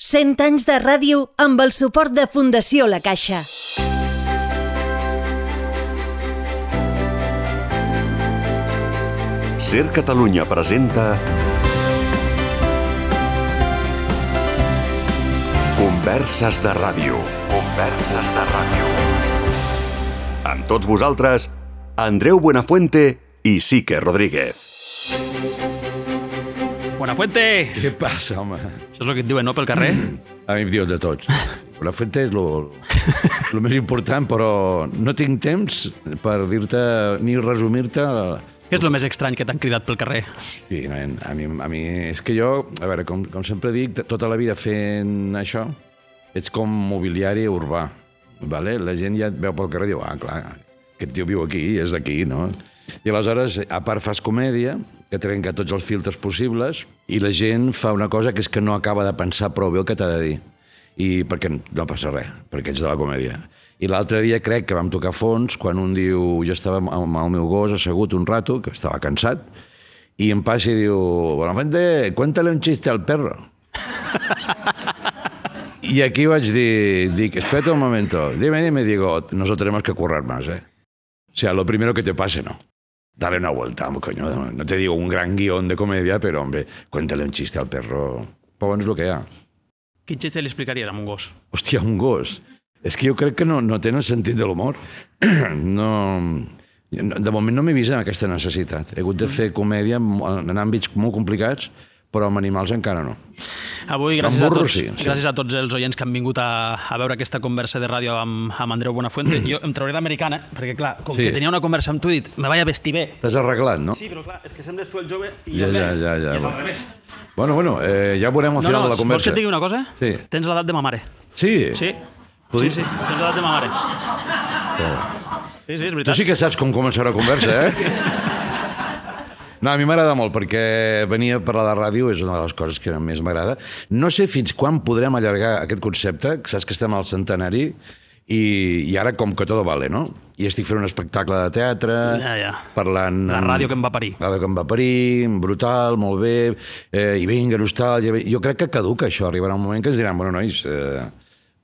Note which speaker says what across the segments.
Speaker 1: 100 anys de ràdio amb el suport de Fundació La Caixa.
Speaker 2: Ser Catalunya presenta Converses de Ràdio. Converses de Ràdio. Amb tots vosaltres, Andreu Buenafuente i Sique Rodríguez.
Speaker 3: Buenafuente!
Speaker 4: Què passa, home?
Speaker 3: Això és el que et diuen, no, pel carrer?
Speaker 4: A mi em diuen de tots. Buenafuente és lo més important, però no tinc temps per dir-te ni resumir-te.
Speaker 3: Què és el més estrany que t'han cridat pel carrer?
Speaker 4: Hosti, nen, a mi és que jo, a veure, com sempre dic, tota la vida fent això, ets com mobiliari urbà, vale? La gent ja et veu pel carrer i diu, clar, aquest tio viu aquí, és d'aquí, no? I aleshores, a part fas comèdia, que trenca tots els filtres possibles, i la gent fa una cosa que és que no acaba de pensar prou bé el que t'ha de dir. I perquè no passa res, perquè ets de la comèdia. I l'altre dia crec que vam tocar fons quan un diu, jo estava amb el meu gos assegut un rato, que estava cansat, i em passa i diu, Buenafuente, cuéntale un chiste al perro. I aquí vaig dir, espérate un momento, dime, digo, nosotros tenemos que currar más, ¿eh? O sea, lo primero que te pase, no. Dale una vuelta, coño. No te digo un gran guión de comedia, pero, hombre, cuéntale un chiste al perro. Però bueno, és el que hi ha.
Speaker 3: Quin xiste li explicaries a un gos?
Speaker 4: Hòstia, un gos. És que jo crec que no tenen sentit de l'humor. No, de moment no m'he vist en aquesta necessitat. He hagut de fer comèdia en àmbits molt complicats, però amb animals encara no.
Speaker 3: Avui, gràcies a tots els oients que han vingut a veure aquesta conversa de ràdio amb Andreu Buenafuente, jo em trauré l'americana, perquè clar, com que tenia una conversa amb tu, he dit, me vaig a vestir bé.
Speaker 4: T'has arreglat, no?
Speaker 3: Sí, però clar, és que sembles tu el jove i jo bé, i és al revés.
Speaker 4: Bueno, ja veurem al final de la conversa.
Speaker 3: Vols que et digui una cosa?
Speaker 4: Sí.
Speaker 3: Tens l'edat de ma mare.
Speaker 4: Sí?
Speaker 3: Sí, tens l'edat de ma mare. Sí, és veritat.
Speaker 4: Tu sí que saps com començarà la conversa, eh? No, a mi m'agrada molt, perquè venir a parlar de ràdio és una de les coses que més m'agrada. No sé fins quan podrem allargar aquest concepte, que saps que estem al centenari, i ara com que tot vale, no? I estic fent un espectacle de teatre, parlant...
Speaker 3: La ràdio que em va parir.
Speaker 4: La ràdio que em va parir, brutal, molt bé, i vinga, nostàlgia... Jo crec que caduca això, arribarà un moment que ens diran, bueno, nois...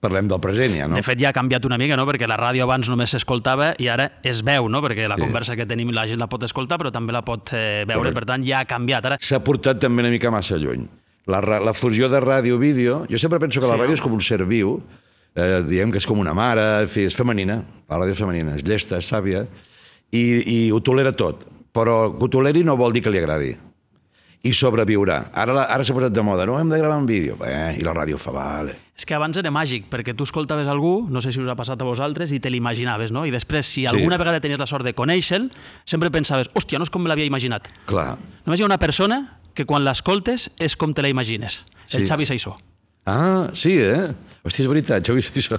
Speaker 4: parlem del present, ja, no?
Speaker 3: De fet, ja ha canviat una mica, no? Perquè la ràdio abans només s'escoltava i ara es veu, no? Perquè la conversa que tenim la gent la pot escoltar, però també la pot veure, per tant, ja ha canviat.
Speaker 4: S'ha portat també una mica massa lluny. La fusió de ràdio-vídeo... Jo sempre penso que la ràdio és com un ser viu, diguem que és com una mare, en fi, és femenina, la ràdio és femenina, és llesta, és sàvia, i ho tolera tot, però que ho toleri no vol dir que li agradi. I sobreviurà. Ara s'ha posat de moda, no hem de gravar en vídeo. I la ràdio fa, vale.
Speaker 3: És que abans era màgic, perquè tu escoltaves algú, no sé si us ha passat a vosaltres, i te l'imaginaves, no? I després, si alguna vegada tenies la sort de conèixer-lo, sempre pensaves, hòstia, no és com me l'havia imaginat.
Speaker 4: Clar.
Speaker 3: Només hi ha una persona que quan l'escoltes és com te la imagines. El Xavi Saissó.
Speaker 4: Ah, sí, eh? Hòstia, és veritat, Xavi Saissó.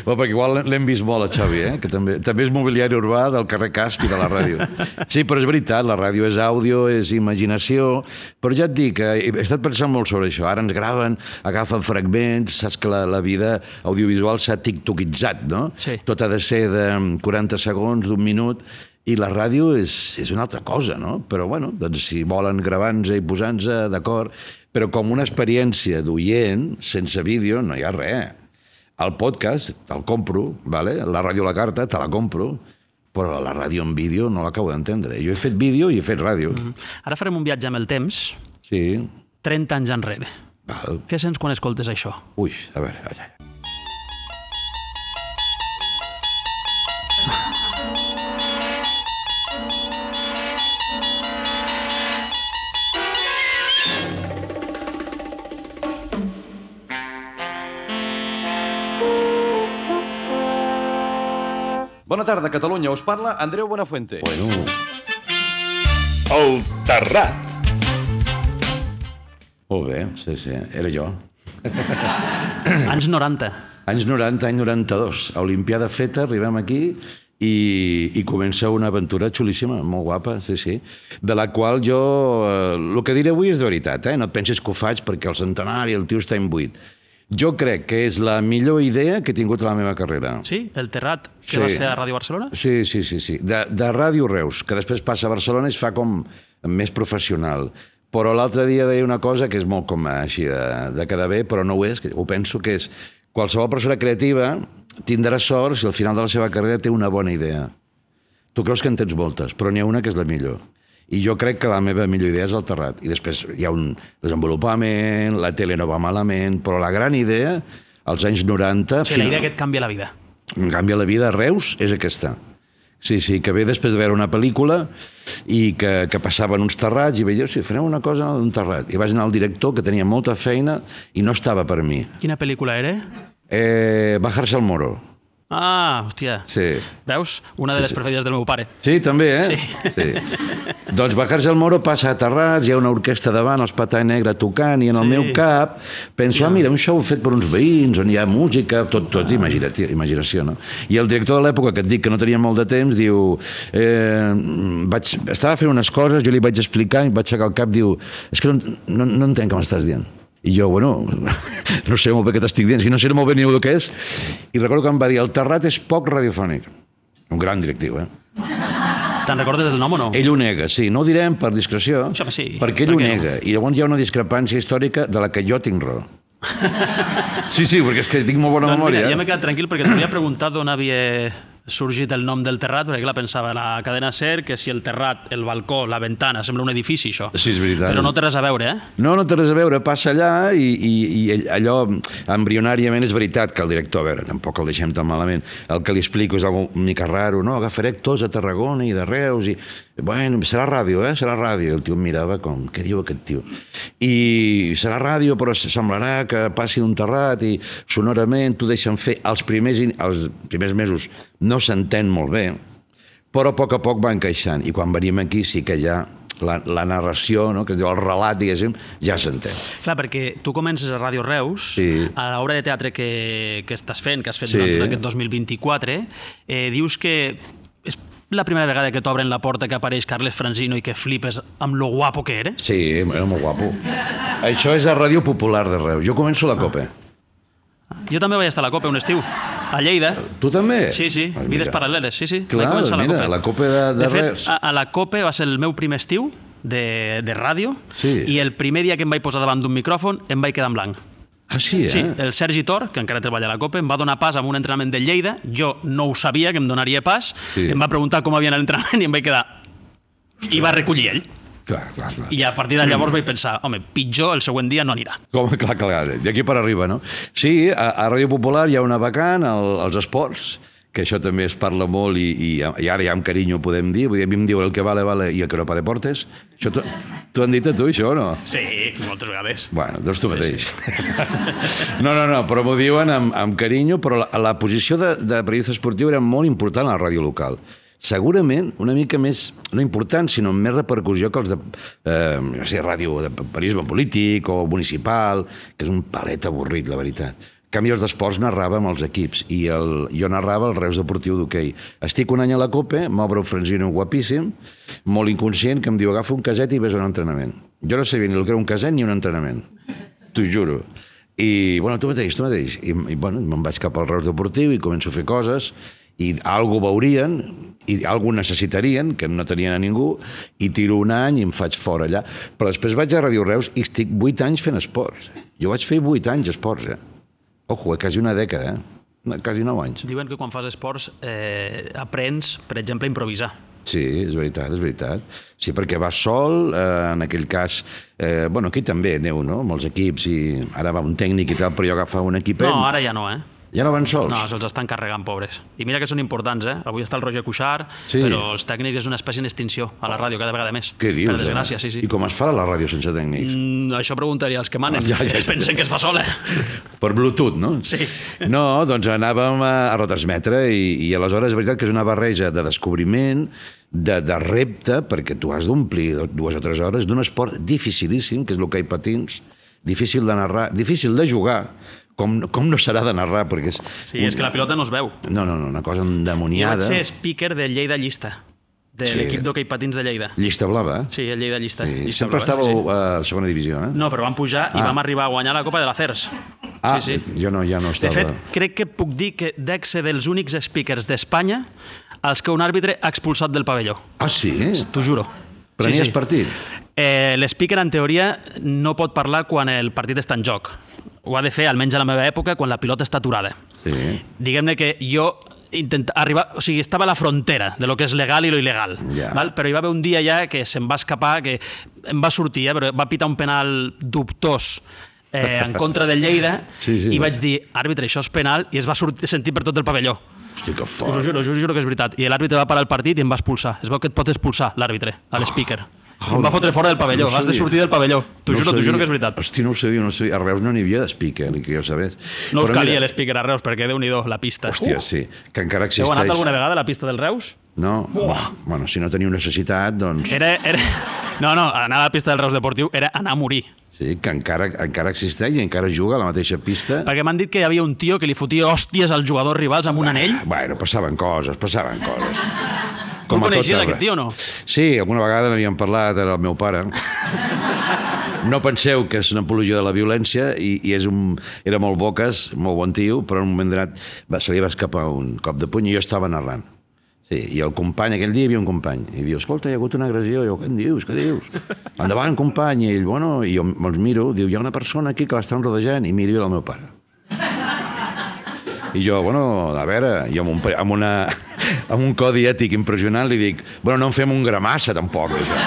Speaker 4: Perquè igual l'hem vist molt, a Xavi, que també és mobiliari urbà del carrer Casp i de la ràdio. Sí, però és veritat, la ràdio és àudio, és imaginació, però ja et dic, he estat pensant molt sobre això. Ara ens graven, agafen fragments, saps que la vida audiovisual s'ha tiktokitzat, no?
Speaker 3: Sí.
Speaker 4: Tot ha de ser de 40 segons, d'un minut, i la ràdio és una altra cosa, no? Però, bueno, doncs si volen gravar-nos i posar-nos, d'acord, però com una experiència d'oient, sense vídeo, no hi ha res. El podcast te'l compro, vale? La ràdio a la carta te la compro, però la ràdio en vídeo no l'acabo d'entendre. Jo he fet vídeo i he fet ràdio.
Speaker 3: Ara farem un viatge amb el temps, 30 anys enrere.
Speaker 4: Val.
Speaker 3: Què sents quan escoltes això?
Speaker 4: Ui, a veure...
Speaker 5: Bona tarda, Catalunya. Us parla Andreu Buenafuente.
Speaker 4: Bueno...
Speaker 2: El Terrat.
Speaker 4: Molt bé, sí, era jo.
Speaker 3: Anys 90.
Speaker 4: Anys 90, any 92. Olimpiada feta, arribem aquí i comença una aventura xulíssima, molt guapa, sí. De la qual jo... El que diré avui és de veritat, no et pensis que ho faig perquè el centenari, el tio està imbuït. Jo crec que és la millor idea que he tingut a la meva carrera.
Speaker 3: Sí? El Terrat que vas fer a Ràdio Barcelona?
Speaker 4: Sí. De Ràdio Reus, que després passa a Barcelona i es fa com més professional. Però l'altre dia deia una cosa que és molt com així de quedar bé, però no ho és, que ho penso que és qualsevol persona creativa tindrà sort si al final de la seva carrera té una bona idea. Tu creus que en tens moltes, però n'hi ha una que és la millor. I jo crec que la meva millor idea és el Terrat. I després hi ha un desenvolupament, la tele no va malament, però la gran idea, als anys 90...
Speaker 3: Sí, la idea que et canvia la vida.
Speaker 4: Em canvia la vida a Reus és aquesta. Sí, que ve després de veure una pel·lícula i que passaven uns terrats i veia, sí, farem una cosa d'un terrat. I vaig anar al director, que tenia molta feina i no estava per mi.
Speaker 3: Quina pel·lícula era?
Speaker 4: Bajarse al Moro.
Speaker 3: Ah, hòstia.
Speaker 4: Sí.
Speaker 3: Veus? Una de les preferides del meu pare.
Speaker 4: Sí, també,
Speaker 3: Sí.
Speaker 4: Doncs Bajarse al Moro passa a Terrats, hi ha una orquestra davant, els Patà Negra tocant, i en el meu cap penso, mira, un show fet per uns veïns, on hi ha música, tot imaginació, no? I el director de l'època, que et dic que no tenia molt de temps, diu... Estava fent unes coses, jo li vaig explicar, i vaig aixecar el cap, diu, és que no entenc què m'estàs dient. I jo, bueno, no sé molt bé què t'estic dient, si no sé molt bé ni el que és. I recordo que em va dir, el Terrat és poc radiofònic. Un gran directiu,
Speaker 3: Te'n recordes del nom o no?
Speaker 4: Ell ho nega, sí. No ho direm per discreció,
Speaker 3: sí.
Speaker 4: perquè ell ho nega. I llavors hi ha una discrepància històrica de la que jo tinc raó. Sí, perquè és que tinc molt bona memòria.
Speaker 3: Mira, ja m'he quedat tranquil perquè t'havia preguntat d'on havia sorgit el nom del Terrat, perquè clar, pensava la cadena SER, que si el terrat, el balcó, la ventana, sembla un edifici, això.
Speaker 4: Sí, és veritat.
Speaker 3: Però no té res a veure,
Speaker 4: No té res a veure, passa allà i allò, embrionàriament, és veritat que el director, a veure, tampoc el deixem tan malament, el que li explico és una mica raro, no? Agafaré actors a Tarragona i de Reus i... Bueno, serà ràdio, serà ràdio. El tio em mirava com, què diu aquest tio? I serà ràdio, però semblarà que passi un terrat i sonorament t'ho deixen fer. Els primers mesos no s'entén molt bé, però a poc va encaixant. I quan venim aquí sí que ja la narració, no? Que es diu el relat, diguéssim, ja s'entén.
Speaker 3: Clar, perquè tu comences a Ràdio Reus, a l'obra de teatre que estàs fent, que has fet durant tot aquest 2024, dius que és la primera vegada que t'obren la porta que apareix Carles Francino i que flipes amb lo guapo que era?
Speaker 4: Sí, era molt guapo. Això és a Ràdio Popular de Reus. Jo començo a la COPE.
Speaker 3: Jo també vaig estar a la COPE un estiu, a Lleida.
Speaker 4: Tu també?
Speaker 3: Sí, vides paral·leles, sí.
Speaker 4: Clar, mira, la COPE de Reus.
Speaker 3: De fet, a la COPE va ser el meu primer estiu de ràdio i el primer dia que em vaig posar davant d'un micròfon em vaig quedar en blanc.
Speaker 4: Ah, sí,
Speaker 3: Sí, el Sergi Tor, que encara treballa a la COPE, em va donar pas amb un entrenament de Lleida, jo no ho sabia, que em donaria pas, em va preguntar com havia anat l'entrenament i em vaig quedar... I va recollir ell.
Speaker 4: Clar.
Speaker 3: I a partir de llavors vaig pensar, home, pitjor el següent dia no anirà.
Speaker 4: Clar, d'aquí per arriba, no? Sí, a Ràdio Popular hi ha una vacant, als esports, que això també es parla molt i ara ja amb carinyo podem dir, a mi em diuen el que vale i el que no pa deportes. Això t'ho han dit a tu, això, o no?
Speaker 3: Sí, moltes vegades.
Speaker 4: Bueno, doncs tu mateix. No, però m'ho diuen amb carinyo, però la posició de periodista esportiu era molt important a la ràdio local. Segurament una mica més, no important, sinó amb més repercussió que els de ràdio de periodisme polític o municipal, que és un palet avorrit, la veritat. En canvi, els d'esports narrava amb els equips i jo narrava el Reus Deportiu d'hoquei. Estic un any a la COPE, m'obre un Francino guapíssim, molt inconscient, que em diu agafa un caset i ves a un entrenament. Jo no sabia ni el que era un caset ni un entrenament. T'ho juro. I, bueno, tu mateix. I bueno, me'n vaig cap al Reus Deportiu i començo a fer coses i algú veurien i algú necessitarien, que no tenien a ningú, i tiro un any i em faig fora allà. Però després vaig a Ràdio Reus i estic 8 anys fent esports. Jo vaig fer 8 anys esports, Ojo, quasi una dècada, quasi 9 anys.
Speaker 3: Diuen que quan fas esports aprens, per exemple, a improvisar.
Speaker 4: Sí, és veritat. Sí, perquè vas sol, en aquell cas... Bueno, aquí també aneu, no?, amb els equips, i ara va un tècnic i tal, però jo agafava un equipet...
Speaker 3: No, ara ja no,
Speaker 4: Ja no van sols?
Speaker 3: No, se'ls estan carregant, pobres. I mira que són importants, Avui està el Roger Cuixart, però els tècnics és una espècie en extinció a la ràdio, cada vegada més.
Speaker 4: Què dius,
Speaker 3: Per desgràcia, sí.
Speaker 4: I com es fa a la ràdio sense tècnics?
Speaker 3: Això preguntaria als que manen. Pensen que es fa sola.
Speaker 4: Per Bluetooth, no?
Speaker 3: Sí.
Speaker 4: No, doncs anàvem a retransmetre i aleshores és veritat que és una barreja de descobriment, de repte, perquè tu has d'omplir 2 o 3 hores d'un esport dificilíssim, que és l'hoquei patins, difícil de narrar, difícil de jugar, com no serà de narrar, perquè és...
Speaker 3: Sí, és que la pilota no es veu.
Speaker 4: No, una cosa endemoniada.
Speaker 3: Jo vaig ser speaker de Lleida Llista, de l'equip d'hoquei patins de Lleida.
Speaker 4: Llista Blava?
Speaker 3: Sí, el Lleida Llista.
Speaker 4: Sempre estàveu a segona divisió,
Speaker 3: No, però vam pujar i vam arribar a guanyar la Copa de la CERS. Sí.
Speaker 4: Jo ja no estava...
Speaker 3: De fet, crec que puc dir que dec ser dels únics speakers d'Espanya als que un àrbitre ha expulsat del pavelló.
Speaker 4: Ah, sí?
Speaker 3: T'ho juro.
Speaker 4: Prenies partit?
Speaker 3: L'speaker, en teoria, no pot parlar quan el partit està en joc. Ho ha de fer, almenys a la meva època, quan la pilota està aturada.
Speaker 4: Sí.
Speaker 3: Diguem-ne que jo estava a la frontera de lo que és legal i lo il·legal, val? Però hi va haver un dia ja que se'm va escapar, que em va sortir, però va pitar un penal dubtós en contra del Lleida i vaig dir, àrbitre, això és penal, i es va sentir per tot el pavelló.
Speaker 4: Hosti, que fort.
Speaker 3: Us ho juro que és veritat. I l'àrbitre va parar el partit i em va expulsar. Es veu que et pot expulsar l'àrbitre, a l'speaker. Em va fotre fora del pavelló, has de sortir del pavelló. T'ho juro que és veritat.
Speaker 4: Hosti, no ho sabia. A Reus no n'hi havia d'speaker, que jo sabés.
Speaker 3: No us calia l'speaker a Reus, perquè Déu-n'hi-do, la pista.
Speaker 4: Hòstia, sí, que encara existeix.
Speaker 3: Heu anat alguna vegada a la pista del Reus?
Speaker 4: No. Bueno, si no teniu necessitat, doncs...
Speaker 3: No, anar a la pista del Reus Deportiu era anar a morir.
Speaker 4: Sí, que encara existeix i encara juga a la mateixa pista.
Speaker 3: Perquè m'han dit que hi havia un tio que li fotia hòsties als jugadors rivals amb un anell.
Speaker 4: Bueno, passaven coses.
Speaker 3: Tu el coneixies, aquest tio, o no?
Speaker 4: Sí, alguna vegada n'havíem parlat, era el meu pare. No penseu que és una apologia de la violència i era molt boques, molt bon tio, però en un moment donat se li va escapar un cop de puny i jo estava narrant. Sí, i el company, aquell dia hi havia un company, i diu, escolta, hi ha hagut una agressió, i jo, què dius? Endavant, company, i ell, bueno, i jo me'ls miro, diu, hi ha una persona aquí que l'estan rodejant, i miro el meu pare. I jo, bueno, a veure, jo amb un codi ètic impressionant li dic, bueno, no en fem un gramassa, tampoc, això.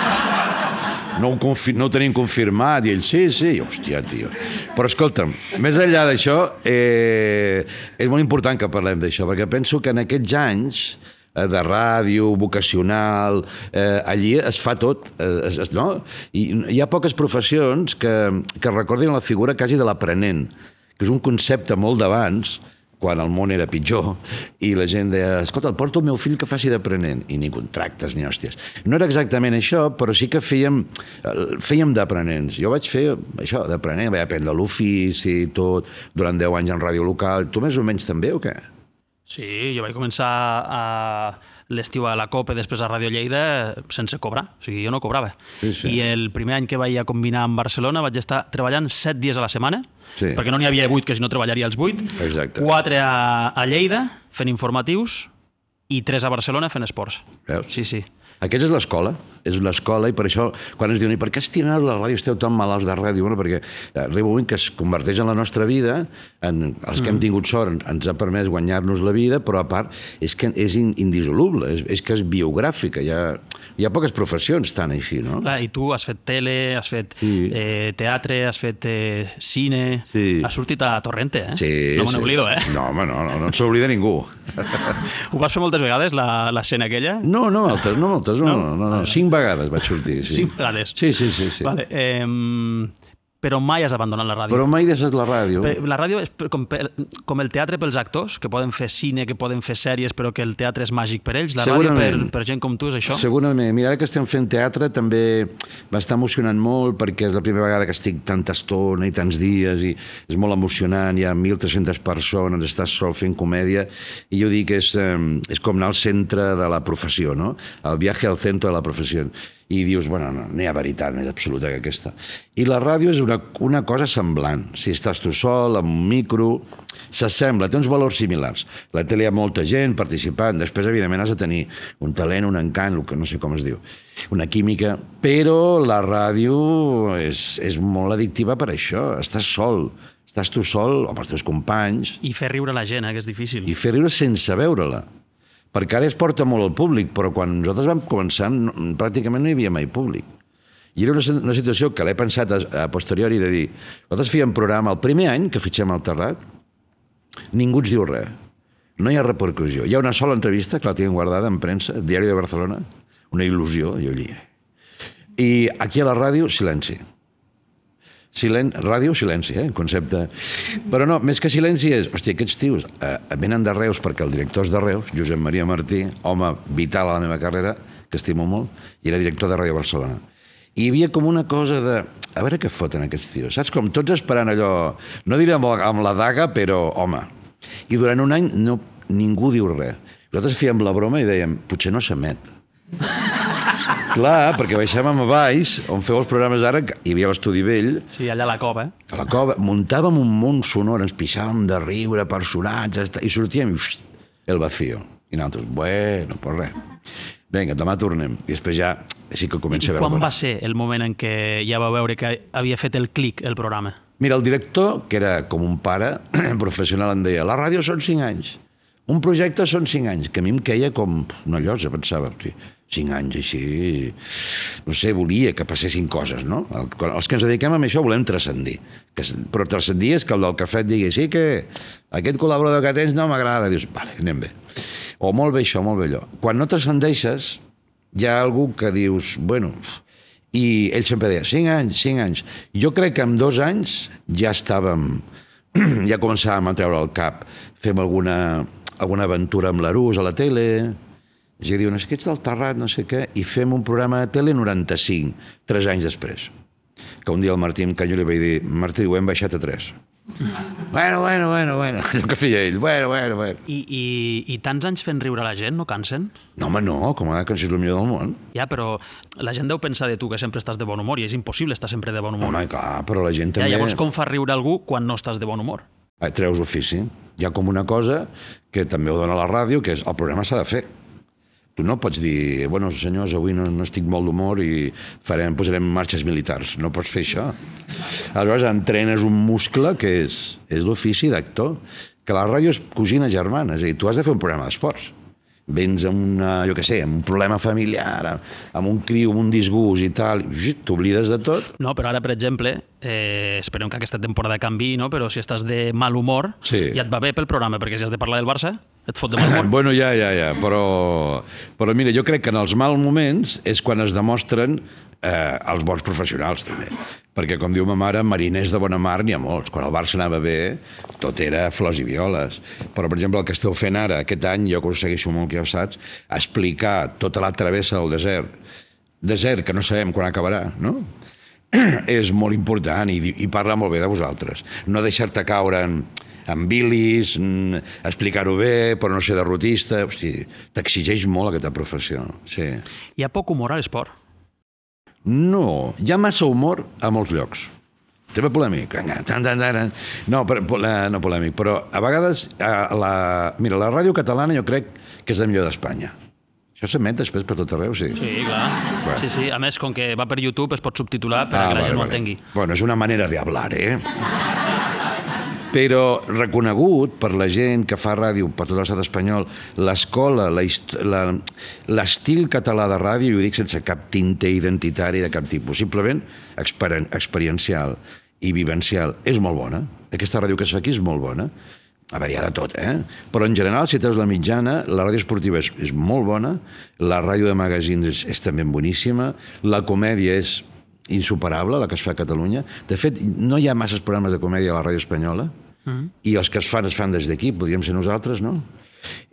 Speaker 4: No ho tenim confirmat, i ell, sí, hòstia, tio. Però escolta'm, més enllà d'això, és molt important que parlem d'això, perquè penso que en aquests anys de ràdio, vocacional, allí es fa tot, no? I hi ha poques professions que recordin la figura quasi de l'aprenent, que és un concepte molt d'abans, quan el món era pitjor, i la gent deia, escolta, porto el meu fill que faci d'aprenent, i ni contractes ni hòsties. No era exactament això, però sí que fèiem d'aprenents. Jo vaig fer això, d'aprenent, vaig aprendre l'ofici, tot, durant 10 anys en ràdio local. Tu més o menys també, o què?
Speaker 3: Sí, jo vaig començar a l'estiu a la COPE, després a Ràdio Lleida, sense cobrar. O sigui, jo no cobrava. Sí. I el primer any que vaig a combinar amb Barcelona vaig estar treballant 7 dies a la setmana, perquè no n'hi havia 8, que si no treballaria els 8.
Speaker 4: Exacte.
Speaker 3: 4 a Lleida, fent informatius, i 3 a Barcelona fent esports.
Speaker 4: Veus?
Speaker 3: Sí.
Speaker 4: Aquesta és una escola, i per això, quan ens diuen, i per què estimeu la ràdio, esteu tan malalts de ràdio? Bueno, perquè arriba un moment que es converteix en la nostra vida, els que hem tingut sort ens ha permès guanyar-nos la vida, però a part és que és indissoluble, és que és biogràfica, hi ha poques professions tan així, no?
Speaker 3: Clar, i tu has fet tele, has fet teatre, has fet cine, has sortit a Torrente, eh?
Speaker 4: Sí,
Speaker 3: no me n'oblido, eh?
Speaker 4: No, home, no s'oblida ningú.
Speaker 3: Ho vas fer moltes vegades, l'escena aquella?
Speaker 4: No, moltes, no. 5 vegades vaig sortir.
Speaker 3: 5 vegades?
Speaker 4: Sí.
Speaker 3: Vale, però mai has abandonat la ràdio.
Speaker 4: Però mai deixat la ràdio.
Speaker 3: La ràdio és com el teatre pels actors, que poden fer cine, que poden fer sèries, però que el teatre és màgic per ells. La ràdio per gent com tu és això?
Speaker 4: Segurament. Mira, ara que estem fent teatre també m'està emocionant molt, perquè és la primera vegada que estic tanta estona i tants dies, i és molt emocionant, hi ha 1.300 persones, estàs sol fent comèdia, i jo dic que és com anar al centre de la professió, no? El viatge al centre de la professió. I dius, bueno, no hi ha veritat més absoluta que aquesta. I la ràdio és una cosa semblant. Si estàs tu sol, amb un micro, s'assembla, té uns valors similars. La tele hi ha molta gent participant, després, evidentment, has de tenir un talent, un encant, el que no sé com es diu, una química, però la ràdio és molt addictiva per això. Estàs sol, estàs tu sol, amb els teus companys.
Speaker 3: I fer riure la gent, que és difícil.
Speaker 4: I fer riure sense veure-la. Perquè ara es porta molt al públic, però quan nosaltres vam començar pràcticament no hi havia mai públic. I era una situació que l'he pensat a posteriori de dir, nosaltres fèiem programa el primer any que fitxem al Terrat, ningú ens diu res, no hi ha repercussió. Hi ha una sola entrevista que la tinc guardada en premsa, Diari de Barcelona, una il·lusió, jo allí. I aquí a la ràdio, silenci. Ràdio, silenci, concepte. Però no, més que silenci és, hòstia, aquests tios venen de Reus perquè el director és de Reus, Josep Maria Martí, home vital a la meva carrera, que estimo molt, i era director de Ràdio Barcelona. I hi havia com una cosa de, a veure què foten aquests tios, saps? Com tots esperant allò, no diré amb la daga, però, home. I durant un any ningú diu res. Nosaltres fèiem la broma i dèiem, potser no s'emet. Clar, perquè baixàvem a baix, on feu els programes ara, hi havia l'Estudi Vell.
Speaker 3: Sí, allà a la cova,
Speaker 4: A la cova, muntàvem un món sonor, ens pixàvem de riure, personatges, i sortíem, el vacío. I nosaltres, bueno, pues res. vinga, demà tornem. I després ja sí que comença a veure...
Speaker 3: I quan va ser el moment en què ja va veure que havia fet el clic el programa?
Speaker 4: Mira, el director, que era com un pare professional, em deia, la ràdio són 5 anys, un projecte són 5 anys, que a mi em queia com una llosa, pensava, 5 anys així... No sé, volia que passessin coses, no? Els que ens dediquem a això volem transcendir. Però transcendir és que el del cafè et digui, sí que aquest col·laborador que tens no m'agrada. Dius, vale, anem bé. O molt bé això, molt bé allò. Quan no transcendeixes, hi ha algú que dius, bueno... I ell sempre deia, 5 anys, 5 anys. Jo crec que en 2 anys ja estàvem... Ja començàvem a treure el cap. Fem alguna aventura amb l'Arús a la tele... I diuen, és que ets del Terrat, no sé què, i fem un programa de tele 95, 3 anys després. Que un dia el Martí em canyo i li vaig dir, Martí, ho hem baixat a 3. Bueno, el que feia ell, bueno.
Speaker 3: I tants anys fent riure la gent, no cansen?
Speaker 4: No, home, no, com a que és el millor del món.
Speaker 3: Ja, però la gent deu pensar de tu que sempre estàs de bon humor i és impossible estar sempre de bon humor.
Speaker 4: Home, clar, però la gent també...
Speaker 3: Ja, llavors com fa riure algú quan no estàs de bon humor?
Speaker 4: Treus ofici. Hi ha com una cosa que també ho dona la ràdio, que és el programa s'ha de fer. Tu no pots dir, bueno, senyors, avui no estic molt d'humor i posarem marxes militars. No pots fer això. Aleshores, entrenes un muscle que és l'ofici d'actor, que la ràdio és cosina germana, és a dir, tu has de fer un programa d'esports. Vens amb amb un problema familiar, amb un criu, amb un disgust i tal, t'oblides de tot.
Speaker 3: No, però ara, per exemple, esperem que aquesta temporada canviï, no? Però si estàs de mal humor, ja et va bé pel programa, perquè si has de parlar del Barça, et fot de mal humor.
Speaker 4: Bueno, ja, però mira, jo crec que en els mals moments és quan es demostren els bons professionals, també. Perquè, com diu ma mare, mariners de bona mar n'hi ha molts. Quan el Barça anava bé, tot era flors i violes. Però, per exemple, el que esteu fent ara, aquest any, jo que ho segueixo molt, que ja ho saps, explicar tota la travessa del desert que no sabem quan acabarà, no? És molt important i parla molt bé de vosaltres. No deixar-te caure en bilis, explicar-ho bé, però no ser derrotista. Hosti, t'exigeix molt aquesta professió. Sí.
Speaker 3: Hi ha poc humor a l'esport?
Speaker 4: No, hi ha massa humor a molts llocs. Tema polèmic. No polèmic, però a vegades mira, la ràdio catalana jo crec que és la millor d'Espanya. Això s'emet després per tot arreu, sí.
Speaker 3: Sí, clar. Sí. A més, com que va per YouTube, es pot subtitular per que la gent ho entengui.
Speaker 4: Bueno, és una manera de hablar, Però reconegut per la gent que fa ràdio per tot l'estat espanyol, l'escola, l'estil català de ràdio, i ho dic sense cap tinte identitari de cap tipus, simplement experiencial i vivencial, és molt bona. Aquesta ràdio que es fa aquí és molt bona. A veure, hi ha de tot, Però en general, si treus la mitjana, la ràdio esportiva és molt bona, la ràdio de magazines és també boníssima, la comèdia és insuperable, la que es fa a Catalunya. De fet, no hi ha masses programes de comèdia a la ràdio espanyola, i els que es fan des d'aquí, podríem ser nosaltres, no?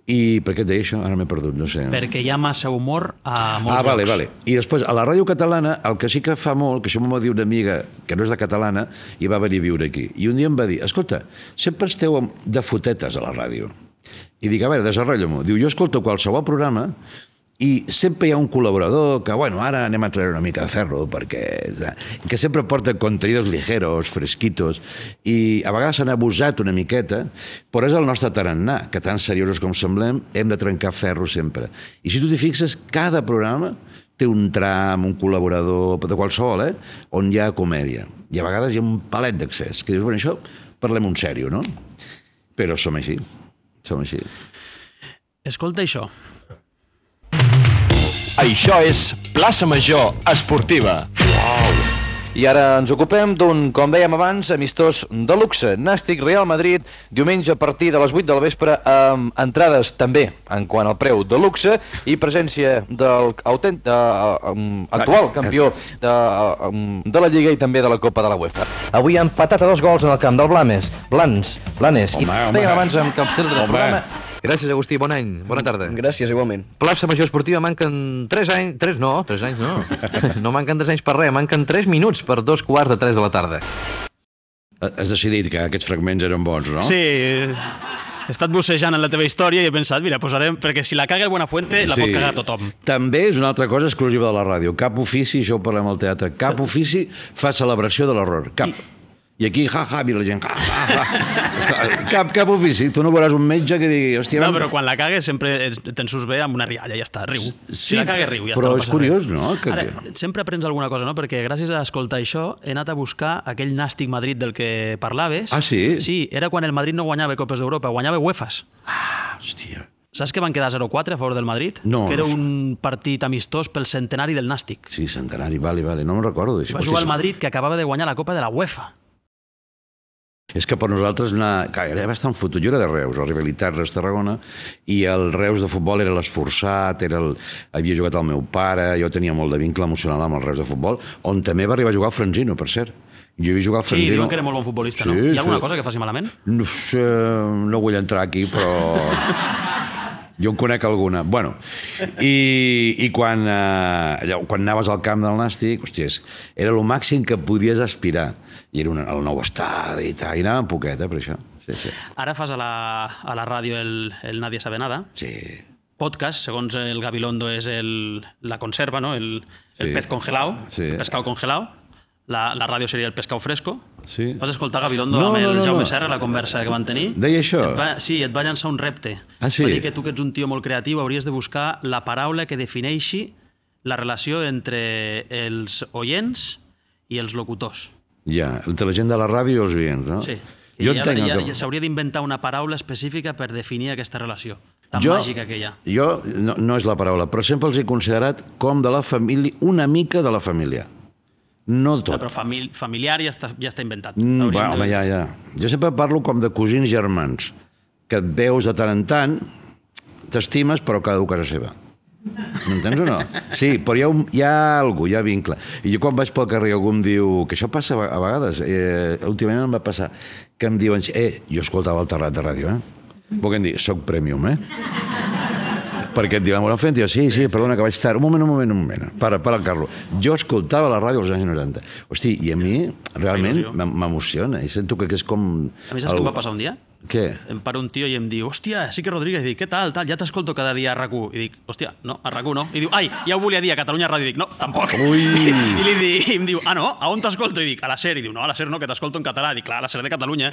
Speaker 4: I per què et deia això? Ara m'he perdut, no sé.
Speaker 3: Perquè hi ha massa humor a molts llocs.
Speaker 4: Vale. I després, a la ràdio catalana, el que sí que fa molt, que això m'ho va dir una amiga que no és de catalana, i va venir a viure aquí. I un dia em va dir, escolta, sempre esteu de fotetes a la ràdio. I dic, a veure, desarrolla-m'ho. Diu, jo escolto qualsevol programa i sempre hi ha un col·laborador que, bueno, ara anem a treure una mica de ferro, que sempre porta contenidos ligeros, fresquitos, i a vegades s'han abusat una miqueta, però és el nostre tarannà, que tan seriosos com semblem, hem de trencar ferro sempre. I si tu t'hi fixes, cada programa té un tram, un col·laborador, de qualsevol, on hi ha comèdia. I a vegades hi ha un palet d'accés, que dius, bueno, això parlem un sèrio, no? Però som així.
Speaker 3: Escolta això.
Speaker 6: Això és Plaça Major Esportiva. I ara ens ocupem d'un, com dèiem abans, amistós de luxe. Nàstic Real Madrid, diumenge a partir de les 8 de la vespre, amb entrades també en quant al preu de luxe i presència del actual campió de la Lliga i també de la Copa de la UEFA. Avui ha empatat a 2 gols en el camp del Blanes. I dèiem abans amb capçal del programa. Gràcies, Agustí, bon any, bona tarda.
Speaker 7: Gràcies, igualment.
Speaker 6: Plaça Major Esportiva, manquen 3 anys... 3 anys no. No manquen 3 anys per res, manquen 3 minuts per 2:45 de la tarda.
Speaker 4: Has decidit que aquests fragments eren bons, no?
Speaker 3: Sí, he estat bussejant en la teva història i he pensat, mira, posarem... Perquè si la caga el Buenafuente, la pot cagar tothom.
Speaker 4: També és una altra cosa exclusiva de la ràdio. Cap ofici, això ho parlem al teatre, cap ofici fa celebració de l'error. Cap. I aquí, i la gent, cap ofici. Tu no veuràs un metge que digui, hòstia...
Speaker 3: No, però quan la cagues sempre te'n surts bé amb una rialla, ja està, riu. Si la cagues, riu, ja està.
Speaker 4: Però és curiós, no?
Speaker 3: Ara, sempre aprens alguna cosa, no? Perquè gràcies a escoltar això he anat a buscar aquell Nàstic Madrid del que parlaves.
Speaker 4: Ah, sí?
Speaker 3: Sí, era quan el Madrid no guanyava Copes d'Europa, guanyava UEFAs.
Speaker 4: Ah, hòstia...
Speaker 3: Saps que van quedar 0-4 a favor del Madrid?
Speaker 4: No.
Speaker 3: Que era un partit amistós pel centenari del Nàstic.
Speaker 4: Sí, centenari, vale, no me'n recordo d'això.
Speaker 3: Va jugar el Madrid, que acabava de guanyar la Copa de la UEFA.
Speaker 4: És que per nosaltres era bastant fotut. Jo era de Reus, la rivalitat Reus-Tarragona, i el Reus de futbol era l'esforçat, havia jugat el meu pare, jo tenia molt de vincle emocional amb el Reus de futbol, on també va arribar a jugar el Franzino, per cert. Jo havia jugat al Franzino.
Speaker 3: Sí, diuen que era molt bon futbolista, no? Hi ha alguna cosa que faci malament?
Speaker 4: No sé, no vull entrar aquí, però... Jo en conec alguna. Bueno, i quan anaves al camp del Nàstic, hòstia, era el màxim que podies aspirar. I era el nou estadi i tal, i anàvem poquet, per això. Sí.
Speaker 3: Ara fas a la ràdio el Nadie sabe nada.
Speaker 4: Sí.
Speaker 3: Podcast, segons el Gabilondo, és la conserva, no? El pez congelado, el pescado congelado. La ràdio seria el pescau fresco.
Speaker 4: Sí.
Speaker 3: Vas escoltar Gabilondo amb el Jaume Serra, la conversa que van tenir?
Speaker 4: Deia això?
Speaker 3: Sí, et va llançar un repte.
Speaker 4: Ah, sí?
Speaker 3: Va dir que tu, que ets un tio molt creatiu, hauries de buscar la paraula que defineixi la relació entre els oients i els locutors.
Speaker 4: Ja, entre la gent de la ràdio i els oients, no?
Speaker 3: Sí.
Speaker 4: Jo entenc que...
Speaker 3: S'hauria d'inventar una paraula específica per definir aquesta relació tan màgica que hi ha.
Speaker 4: Jo, no és la paraula, però sempre els he considerat com de la família, una mica de la família. No tot.
Speaker 3: Però familiar ja està inventat.
Speaker 4: Home, ja. Jo sempre parlo com de cosins germans, que et veus de tant en tant, t'estimes, però cada un a casa seva. M'entens o no? Sí, però hi ha alguna cosa, hi ha vincle. I jo quan vaig pel carrer algú em diu, que això passa a vegades, últimament em va passar, que em diuen, jo escoltava el Terrat de ràdio, Vol dir, soc premium, perquè et diuen, Buenafuente, sí, perdona que vaig tard. Un moment. Para el Carlo. Jo escoltava la ràdio als anys 90. Hosti, i a mi realment m'emociona. I sento que és com...
Speaker 3: A mi saps què em va passar un dia?
Speaker 4: Què?
Speaker 3: Em para un tio i em diu, hòstia, sí que Rodríguez. I dic, què tal? Ja t'escolto cada dia a RAC1. I dic, hòstia, no, a RAC1 no. I diu, ai, ja ho volia dir a Catalunya Ràdio. I dic, no, tampoc.
Speaker 4: Ui.
Speaker 3: I em diu, no, a on t'escolto? I dic, a la SER. I diu, no, a la SER no, que t'escolto en català. I dic, clar, a la SER de Catalunya.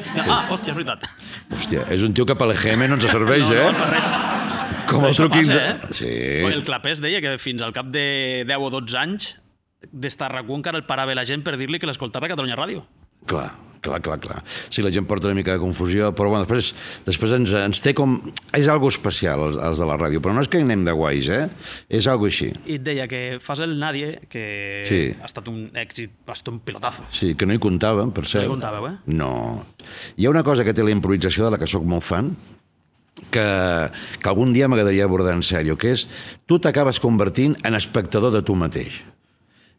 Speaker 3: Hòstia, és veritat.
Speaker 4: Hòstia, és un tio que per l'EGM no ens serveix,
Speaker 3: No, per res.
Speaker 4: Com el truquin...
Speaker 3: Sí. El Clapés deia que fins al cap de 10 o 12 anys d'estar a RAC1 encara el parava la gent per dir-li que l'escoltava a Catalunya Ràdio.
Speaker 4: Clar. Sí, la gent porta una mica de confusió, però bueno, després ens té com... És algo especial, els de la ràdio, però no és que anem de guais, És algo així.
Speaker 3: I et deia que fas el Nadie, que ha estat un èxit, ha estat un pilotazo.
Speaker 4: Sí, que no hi comptàvem, per cert.
Speaker 3: No hi comptàveu,
Speaker 4: No. Hi ha una cosa que té la improvisació, de la que sóc molt fan, que algun dia m'agradaria abordar en sèrio, que és, tu t'acabes convertint en espectador de tu mateix.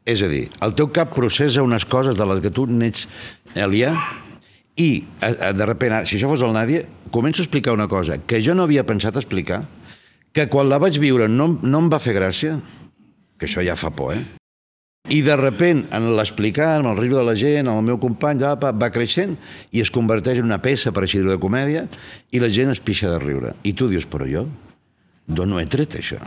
Speaker 4: És a dir, el teu cap processa unes coses de les que tu n'ets aliè i, de repente, si això fos el Nadie, començo a explicar una cosa que jo no havia pensat explicar, que quan la vaig viure no em va fer gràcia, que això ja fa por, I de repente, en l'explicar, en el riure de la gent, el meu company, va creixent i es converteix en una peça, per així dir-ho, de comèdia, i la gent es pixa de riure. I tu dius, però jo d'on no he tret això?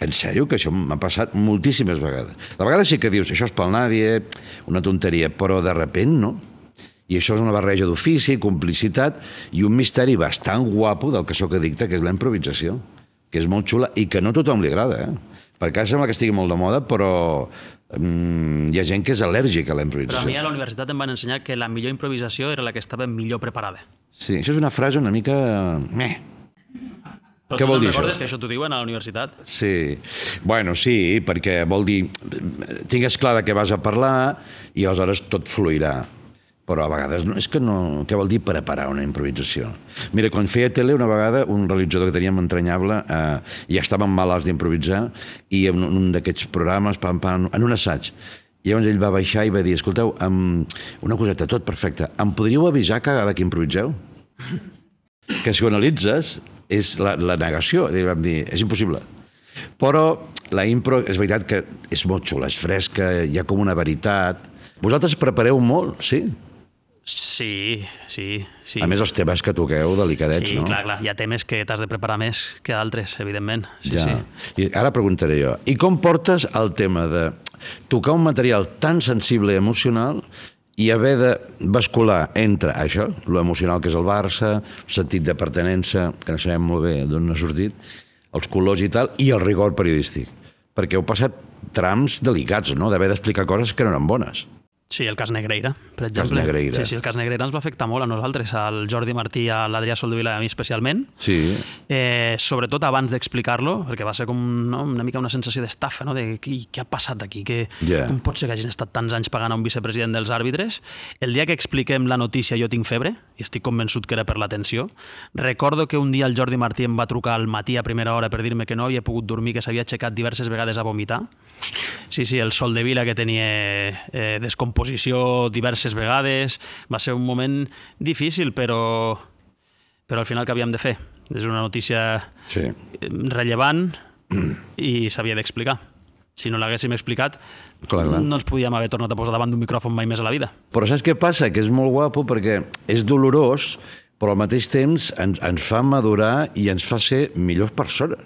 Speaker 4: En sèrio, que això m'ha passat moltíssimes vegades. De vegades sí que dius, això és pel Nadie, una tonteria, però de repente no. I això és una barreja d'ofici, complicitat i un misteri bastant guapo del que sóc addicte, que és la improvisació, que és molt xula i que no a tothom li agrada, Perquè ara sembla que estigui molt de moda, però hi ha gent que és al·lèrgica a la improvisació.
Speaker 3: Però a mi a la universitat em van ensenyar que la millor improvisació era la que estava millor preparada.
Speaker 4: Sí, això és una frase una mica...
Speaker 3: Però què vol dir això? Recordes que això t'ho diuen a la universitat?
Speaker 4: Sí. Bueno, sí, perquè vol dir... Tingues clar de què vas a parlar i aleshores tot fluirà. Però a vegades és que no... Què vol dir preparar una improvisació? Mira, quan feia tele una vegada, un realitzador que teníem entranyable, ja estàvem malalts d'improvisar, i en un d'aquests programes, en un assaig, i llavors ell va baixar i va dir, escolteu, una coseta, tot perfecte, em podríeu avisar cada que improviseu? Que si ho analitzes, és la negació. I vam dir, és impossible. Però la impro, és veritat que és molt xula, és fresca, hi ha com una veritat. Vosaltres prepareu molt, sí?
Speaker 3: Sí.
Speaker 4: A més, els temes que toqueu delicadets, no?
Speaker 3: Sí, clar. Hi ha temes que t'has de preparar més que d'altres, evidentment. Sí.
Speaker 4: I ara preguntaré jo, i com portes el tema de tocar un material tan sensible i emocional i haver de bascular entre això, lo emocional que és el Barça, el sentit de pertinença, que no sabem molt bé d'on ha sortit, els colors i tal, i el rigor periodístic. Perquè heu passat trams delicats, no?, d'haver d'explicar coses que no eren bones.
Speaker 3: Sí, el cas Negreira, per exemple. Sí, el cas Negreira ens va afectar molt a nosaltres, al Jordi Martí, a l'Adrià Soldevila i a mi especialment.
Speaker 4: Sí.
Speaker 3: Sobretot abans d'explicar-lo, perquè va ser com una mica una sensació d'estafa, no? De què ha passat aquí? Com pot ser que hagin estat tants anys pagant a un vicepresident dels àrbitres? El dia que expliquem la notícia Jo tinc febre, i estic convençut que era per l'atenció, recordo que un dia el Jordi Martí em va trucar al matí a primera hora per dir-me que no havia pogut dormir, que s'havia aixecat diverses vegades a vomitar. Sí, el Soldevila que tenia descomposició diverses vegades. Va ser un moment difícil, però al final què havíem de fer? És una notícia rellevant i s'havia d'explicar. Si no l'haguéssim explicat, no ens podíem haver tornat a posar davant d'un micròfon mai més a la vida.
Speaker 4: Però saps què passa? Que és molt guapo perquè és dolorós, però al mateix temps ens fa madurar i ens fa ser millors persones.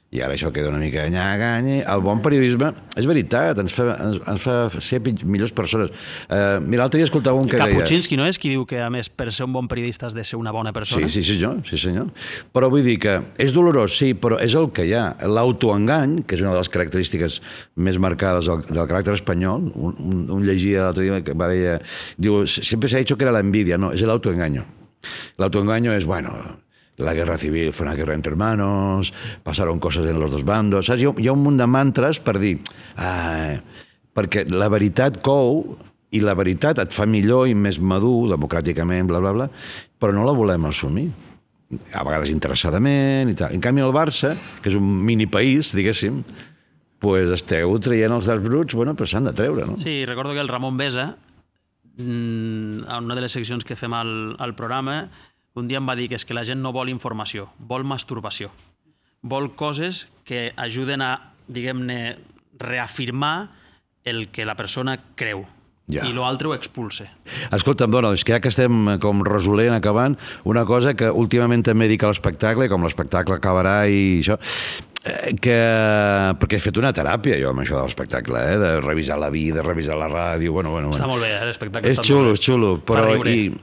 Speaker 4: I ara això queda una mica ganya. El bon periodisme, és veritat, ens fa ser millors persones. Mira, l'altre dia escoltava un que deia...
Speaker 3: Kapuscinski, no és qui diu que, a més, per ser un bon periodista has de ser una bona persona?
Speaker 4: Sí, senyor. Però vull dir que és dolorós, sí, però és el que hi ha. L'autoengany, que és una de les característiques més marcades del caràcter espanyol, un llegia l'altre dia que va dir... Diu, sempre s'ha dit que era la envidia, no, és l'autoengaño. L'autoengaño és, bueno... La guerra civil fue una guerra entre hermanos, pasaron cosas en los dos bandos... Saps? Hi ha un munt de mantres per dir... perquè la veritat cou i la veritat et fa millor i més madur, democràticament, bla, bla, bla, però no la volem assumir. A vegades interessadament i tal. En canvi, el Barça, que és un mini-país, diguéssim, pues esteu traient els darts bruts, bueno, però s'han de treure, no?
Speaker 3: Sí, recordo que el Ramon Besa, en una de les seccions que fem al programa, un dia em va dir que és que la gent no vol informació, vol masturbació. Vol coses que ajuden a, diguem-ne, reafirmar el que la persona creu. I l'altre ho expulse.
Speaker 4: Escolta'm, dona, és que ja que estem com resolent, acabant, una cosa que últimament també dic a l'espectacle, com l'espectacle acabarà i això, perquè he fet una teràpia jo amb això de l'espectacle, de revisar la vida, revisar la ràdio...
Speaker 3: Està molt bé, l'espectacle.
Speaker 4: És xulo, però...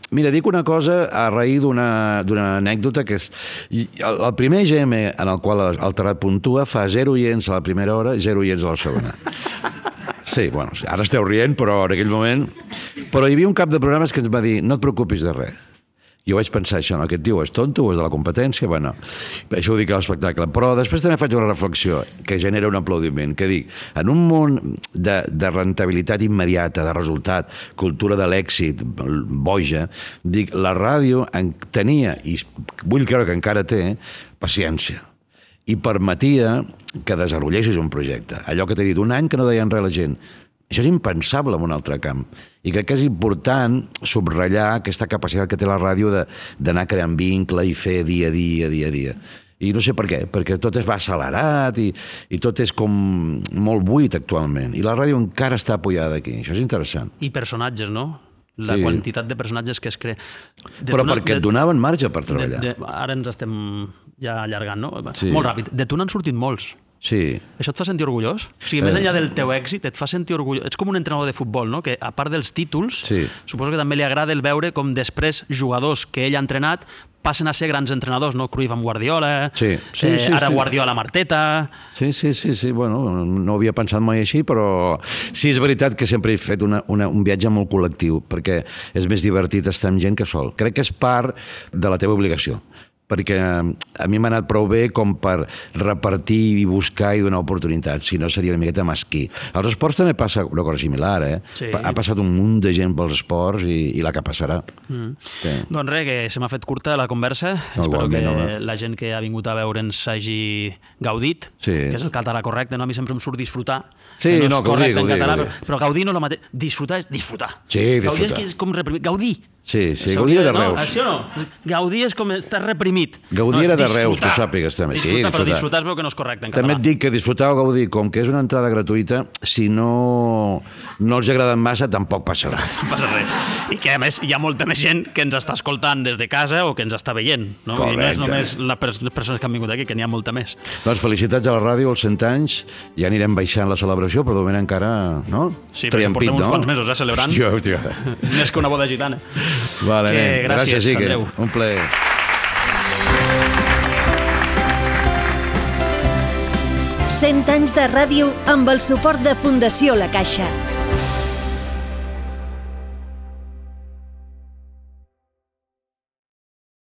Speaker 4: Mira, dic una cosa a raïs d'una anècdota que és... El primer GM en el qual el Terrat puntua fa 0 oients a la primera hora i 0 oients a la segona. Sí, bueno, ara esteu rient, però en aquell moment... Però hi havia un cap de programes que ens va dir no et preocupis de res. Jo vaig pensar això, no? Aquest tio és tonto o és de la competència? Bueno, això ho dic a l'espectacle. Però després també faig una reflexió que genera un aplaudiment, que dic, en un món de rentabilitat immediata, de resultat, cultura de l'èxit, boja, dic, la ràdio tenia, i vull creure que encara té, paciència. I permetia que desenvolupessis un projecte. Allò que t'he dit, un any que no deien res a la gent. Això és impensable en un altre camp. I crec que és important subratllar aquesta capacitat que té la ràdio d'anar creant vincle i fer dia a dia. I no sé per què, perquè tot es va accelerat i tot és com molt buit actualment. I la ràdio encara està apoyada aquí. Això és interessant.
Speaker 3: I personatges, no? La quantitat de personatges que es crea.
Speaker 4: Però perquè et donaven marge per treballar.
Speaker 3: Ara ens estem ja allargant, no? Molt ràpid. De tu n'han sortit molts.
Speaker 4: Sí.
Speaker 3: Això et fa sentir orgullós? O sigui, més enllà del teu èxit, et fa sentir orgullós. Ets com un entrenador de futbol, no? Que a part dels títols, suposo que també li agrada el veure com després jugadors que ell ha entrenat passen a ser grans entrenadors, no? Cruyff amb Guardiola, ara Guardiola amb Arteta...
Speaker 4: Sí, bueno, no havia pensat mai així, però sí, és veritat que sempre he fet un viatge molt col·lectiu, perquè és més divertit estar amb gent que sol. Crec que és part de la teva obligació, perquè a mi m'ha anat prou bé com per repartir i buscar i donar oportunitats, si no seria una miqueta mesquí. Als esports també passa una cosa similar, Ha passat un munt de gent pels esports i la que passarà.
Speaker 3: Doncs res, que se m'ha fet curta la conversa. Espero que la gent que ha vingut a veure'ns hagi gaudit, que és el català correcte, no? A mi sempre em surt disfrutar.
Speaker 4: Sí, no,
Speaker 3: gaudir en català, però gaudir no és el mateix. Disfrutar és disfrutar.
Speaker 4: Sí, disfrutar.
Speaker 3: Gaudir és com reprimir. Gaudir.
Speaker 4: Sí, Gaudí era de Reus.
Speaker 3: Això no, Gaudí és com estar reprimit.
Speaker 4: Gaudí era de Reus, tu sàpigues també.
Speaker 3: Disfrutar, però disfrutar es veu que no és correcte en català.
Speaker 4: També et dic que disfrutar Gaudí, com que és una entrada gratuïta, si no els agraden massa, tampoc passa res.
Speaker 3: No passa res. I que, a més, hi ha molta més gent que ens està escoltant des de casa o que ens està veient. No? I no és només les persones que han vingut aquí, que n'hi ha molta més.
Speaker 4: Doncs felicitats a la ràdio, als 100 anys. Ja anirem baixant la celebració, però de moment encara, no?
Speaker 3: Sí, perquè portem uns quants mesos, celebrant.
Speaker 4: Hòstia.
Speaker 3: Més que una boda gitana.
Speaker 4: Vale, gràcies,
Speaker 3: Andreu.
Speaker 4: Un plaer.
Speaker 1: Cent anys de ràdio amb el suport de Fundació La Caixa.